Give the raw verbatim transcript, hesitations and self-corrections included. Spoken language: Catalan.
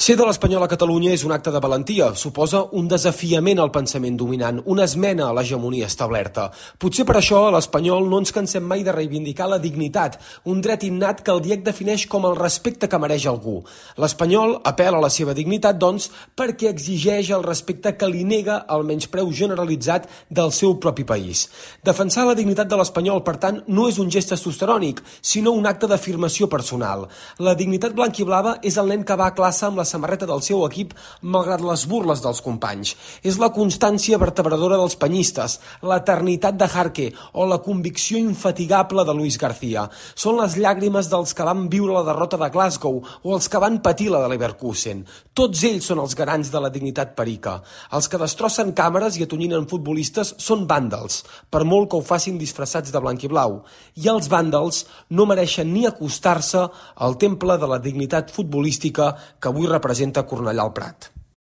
Ser de l'Espanyol a Catalunya és un acte de valentia, suposa un desafiament al pensament dominant, una esmena a l'hegemonia establerta. Potser per això a l'Espanyol no ens cansem mai de reivindicar la dignitat, un dret innat que el D I E C defineix com el respecte que mereix algú. L'Espanyol apel·la a la seva dignitat, doncs, perquè exigeix el respecte que li nega el menyspreu generalitzat del seu propi país. Defensar la dignitat de l'Espanyol, per tant, no és un gest testosterònic, sinó un acte d'afirmació personal. La dignitat blanquiblava és el nen que va a classe amb la samarreta del seu equip malgrat les burles dels companys. És la constància vertebradora dels penyistes, l'eternitat de Jarque o la convicció infatigable de Luis García. Són les llàgrimes dels que van viure la derrota de Glasgow o els que van patir la de Leverkusen. Tots ells són els garants de la dignitat perica. Els que destrossen càmeres i atonyinen futbolistes són vàndals, per molt que ho facin disfressats de blanc i blau. I els vàndals no mereixen ni acostar-se al temple de la dignitat futbolística que avui representa Cornellà al Prat.